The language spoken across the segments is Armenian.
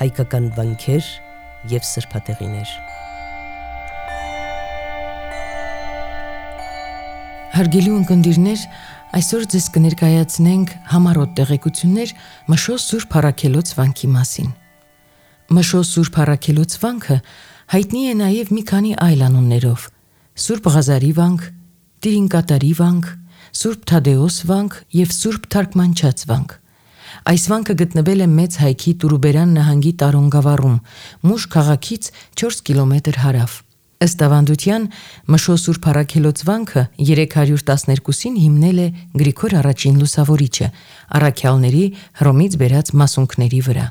հայկական վանքեր և սրբատեղիներ։ Հարգելի ունկնդիրներ, այսօր ձեզ կներկայացնենք համառոտ տեղեկություններ Մշո Սուրբ Առաքելոց վանքի մասին։ Մշո Սուրբ Առաքելոց վանքը հայտնի է նաև մի քանի այլ անուններով՝ Սուրբ Ղազարի վանք, Տիրինկատարի վանք, Սուրբ Թադեոս վանք և Սուրբ Թարգմանչած վանք։ Այս վանքը գտնվել է Մեծ Հայքի Տուրուբերան նահանգի Տարոն գավառում, Մուշ քաղաքից 4 կիլոմետր հարավ։ Ըստ ավանդության, Մշո Սուրբ Առաքելոց վանքը 312-ին հիմնել է Գրիգոր I Լուսավորիչը, առաքյալների Հռոմից բերած մասունքների վրա։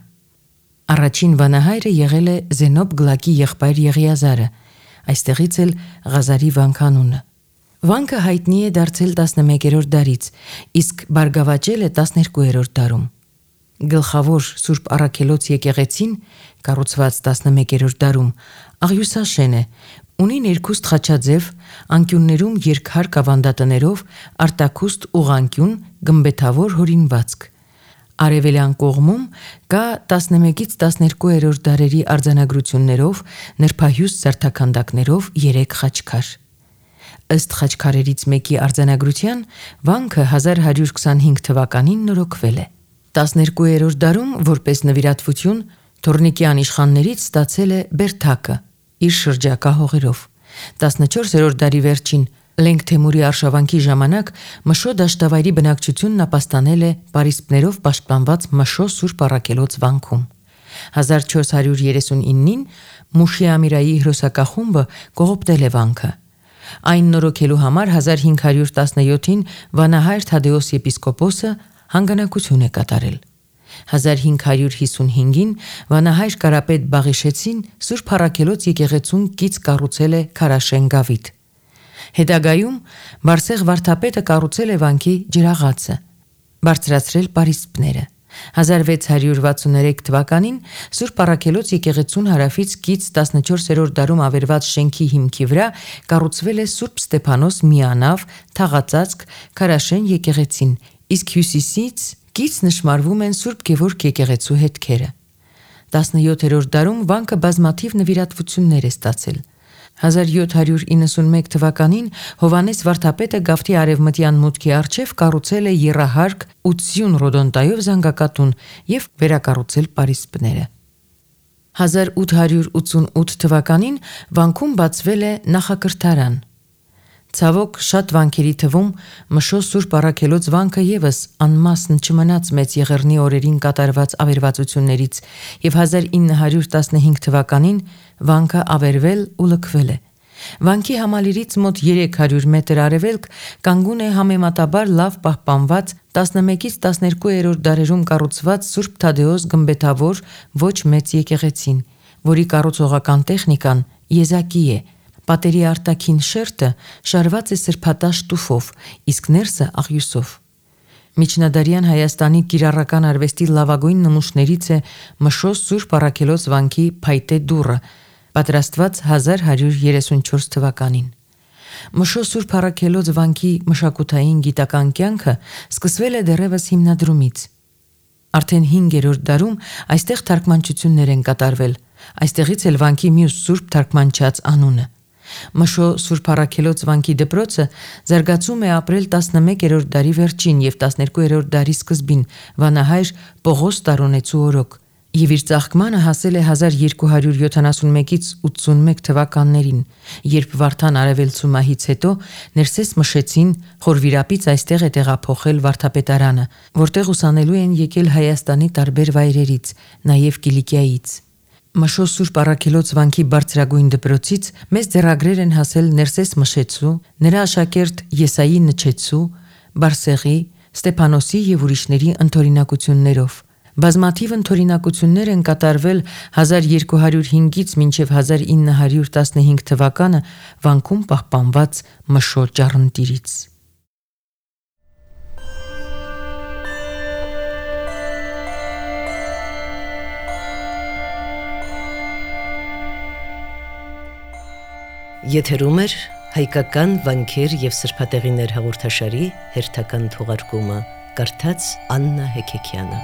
Առաջին վանահայրը եղել է Զենոբ Գլակի եղբայր Եղիազարը, այստեղից էլ Ղազարի վանք անունը։ Վանքը հայտնի է դարձել 11-րդ դարից, իսկ բարգավաճել է 12-րդ դարում։ Գլխավոր Սուրբ Առաքելոց եկեղեցին, կառուցված 11-րդ դարում, աղյուսաշեն է, ունի ներքուստ խաչաձև, անկյուններում երկհարկ ավանդատներով արտաքուստ ուղղանկյուն գմբեթավոր հորինվածք։ Արևելյան կողմում կա 11-ից 12-րդ դարերի արձանագրություններով նրբահյուս զարդաքանդակներով 3 խաչքար։ Ըստ խաչքարերից մեկի արձանագրության, վանքը 1125 թվականին նորոգվել է։ 12-րդ դարում, որպես նվիրատվություն, Թորնիկյան իշխաններից ստացել է Բերթակը իր շրջակա հողերով։ 14-րդ դարի վերջին Լենգ Թեմուրի արշավանքի ժամանակ Մշո դաշտավայրի բնակչությունն ապաստանել է պարիսպներով պաշտպանված Մշո Սուրբ Առաքելոց վանքում։ 1439-ին Մուշի Ամիրայի հրոսակախումբը կողոպտել է վանքը։ Այն նորոգելու համար 1517-ին վանահայր Թադեոս եպիսկոպոսը հանգանակություն է կատարել։ 1555-ին վանահայր Կարապետ Բաղիշեցին Սուրբ Առաքելոց եկեղեցուն կից կառուցել է քարաշեն գավիթ։ Հետագայում Բարսեղ վարդապետը կառուցել է վանքի ջրաղացը, բարձրացրել պարիսպները։ 1663 թվականին Սուրբ Առաքելոց եկեղեցուն հարավից կից 14-րդ դարում ավերված շենքի հիմքի վրա կառուցվել է Սուրբ Ստեփանոս միանավ թաղածածկ քարաշեն եկեղեցին, իսկ հյուսիսից կից նշմարվում են Սուրբ Գևորգ եկեղեցու հետքերը։ 17-րդ դարում վանքը բազմաթիվ նվիրատվություններ է ստացել։ 1791 թվականին Հովանես վարդապետը գավթի արևմտյան մուտքի առջև կառուցել է եռահարկ 80 ռոդոնտայով զանգակատուն և վերակառուցել պարիսպները։ 1888 թվականին վանքում բացվել է նախակրթարան։ Ցավոք, շատ վանքերի թվում Մշո Սուրբ Առաքելոց վանքը ևս անմասն չմնաց Մեծ Եղեռնի օրերին կատարված ավերվածություններից, և 1915 թվականին վանքը ավերվել ու լքվել է։ Վանքի համալիրից մոտ 300 մետր արևելք կանգուն է համեմատաբար լավ պահպանված 11-ից 12-րդ դարերում կառուցված Սուրբ Թադեոս գմբեթավոր ոչ մեծ եկեղեցին, որի կառուցողական տեխնիկան եզակի է։ Պատերի արտաքին շերտը շարված է սրբատաշ տուֆով, իսկ ներսը աղյուսով։ Միջնադարյան Հայաստանի կիրառական արվեստի լավագույն նմուշներից է Մշո Սուրբ Առաքելոց վանքի փայտե դուռը, պատրաստված 1134 թվականին։ Մշո Սուրբ Առաքելոց վանքի մշակութային գիտական կյանքը սկսվել է դեռևս հիմնադրումից։ Արդեն 5-րդ դարում այստեղ թարգմանչություններ են կատարվել, այստեղից էլ վանքի մյուս Սուրբ Թարգմանչած անունը։ Մշո Սուրբ Առաքելոց վանքի դպրոցը զարգացում է ապրել 11-րդ դարի վերջին և 12-րդ դարի սկզբին վանահայր Պողոս Տարոնեցու օրոք, և իր ծաղկմանը հասել է 1271-ից 81 թվականներին, երբ Վարդան արևելցու մահից հետո Ներսես Մշեցին Խորվիրապից այստեղ է տեղափոխել վարդապետարանը, որտեղ ուսանելու են եկել Հայաստանի տարբեր վայրերից, նաև Կիլիկիայից։ Մշո Սուրբ Առաքելոց վանքի բարձրագույն դպրոցից մեծ ձեռագրեր են հասել Ներսես Մշեցու, նրա աշակերտ Եսայի Նչեցու, Բարսեղի, Ստեփանոսի և ուրիշների ընթորինակություններով։ Բազմաթիվ ընթորինակություններ են կատարվել 1205-ից մինչև 1915 թվականը վանքում պահպանված Մշո ճառընտիրից։ Եթերում է հայկական վանքեր և սրբատեղիներ հաղորդաշարի հերթական թողարկումը, կարդաց Աննա Հեքեքյանը։